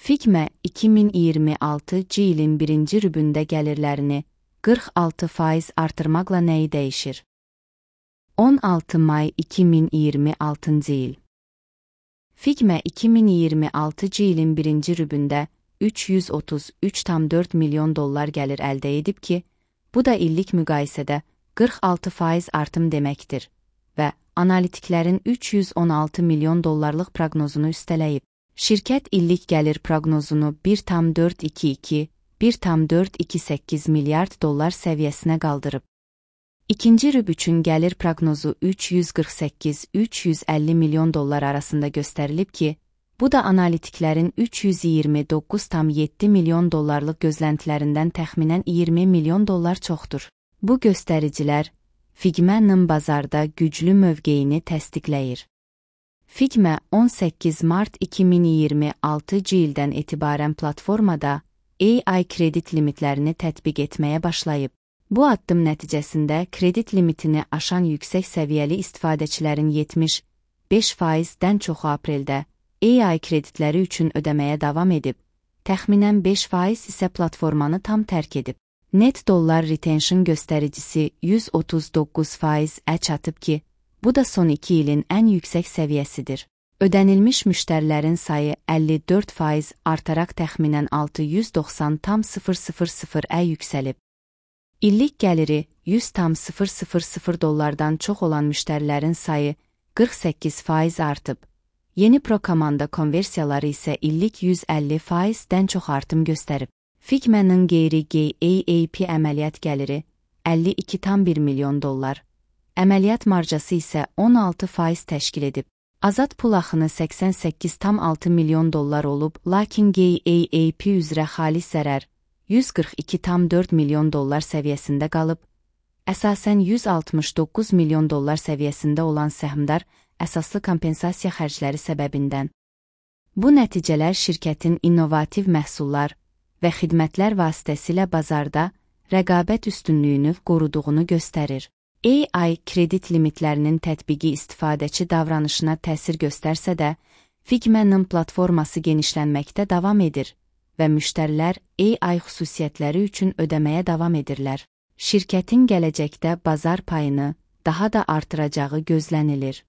Figma 2026 ilin birinci rübündə gəlirlərini 46% artırmaqla nəyi dəyişir? 16 may 2026 il. Figma 2026 ilin birinci rübündə $333,4 milyon gəlir əldə edib ki, bu da illik müqayisədə 46% artım deməkdir və analitiklərin $316 milyon proqnozunu üstələyib. Şirkət illik gəlir proqnozunu $1,422-1,428 milyard səviyyəsinə qaldırıb. İkinci rüb üçün gəlir proqnozu $348-350 milyon arasında göstərilib ki, bu da analitiklərin $329,7 milyon gözləntilərindən təxminən $20 milyon çoxdur. Bu göstəricilər Figma'nın bazarda güclü mövqeyini təsdiqləyir. Figma 18 mart 2026 ildən etibarən platformada AI kredit limitlərini tətbiq etməyə başlayıb. Bu addım nəticəsində kredit limitini aşan yüksək səviyyəli istifadəçilərin 75%-dən çoxu apreldə AI kreditləri üçün ödəməyə davam edib, təxminən 5% isə platformanı tam tərk edib. Net dollar retention göstəricisi 139%-ə çatıb ki, bu da son 2 ilin ən yüksək səviyyəsidir. Ödənilmiş müştərilərin sayı 54% artaraq təxminən 690,000-ə yüksəlib. İllik gəliri $100,000 çox olan müştərilərin sayı 48% artıb. Yeni Pro komanda konversiyaları isə illik 150%-dən çox artım göstərib. Figma'nın qeyri-GAAP əməliyyat gəliri $52,1 milyon, əməliyyat marjası isə 16% təşkil edib. Azad pul axını $88,6 milyon olub, lakin GAAP üzrə xalis zərər $142,4 milyon səviyyəsində qalıb. Əsasən $169 milyon səviyyəsində olan səhmdar əsaslı kompensasiya xərcləri səbəbindən. Bu nəticələr şirkətin innovativ məhsullar və xidmətlər vasitəsilə bazarda rəqabət üstünlüyünü qoruduğunu göstərir. AI kredit limitlərinin tətbiqi istifadəçi davranışına təsir göstərsə də, Figma'nın platforması genişlənməkdə davam edir və müştərilər AI xüsusiyyətləri üçün ödəməyə davam edirlər. Şirkətin gələcəkdə bazar payını daha da artıracağı gözlənilir.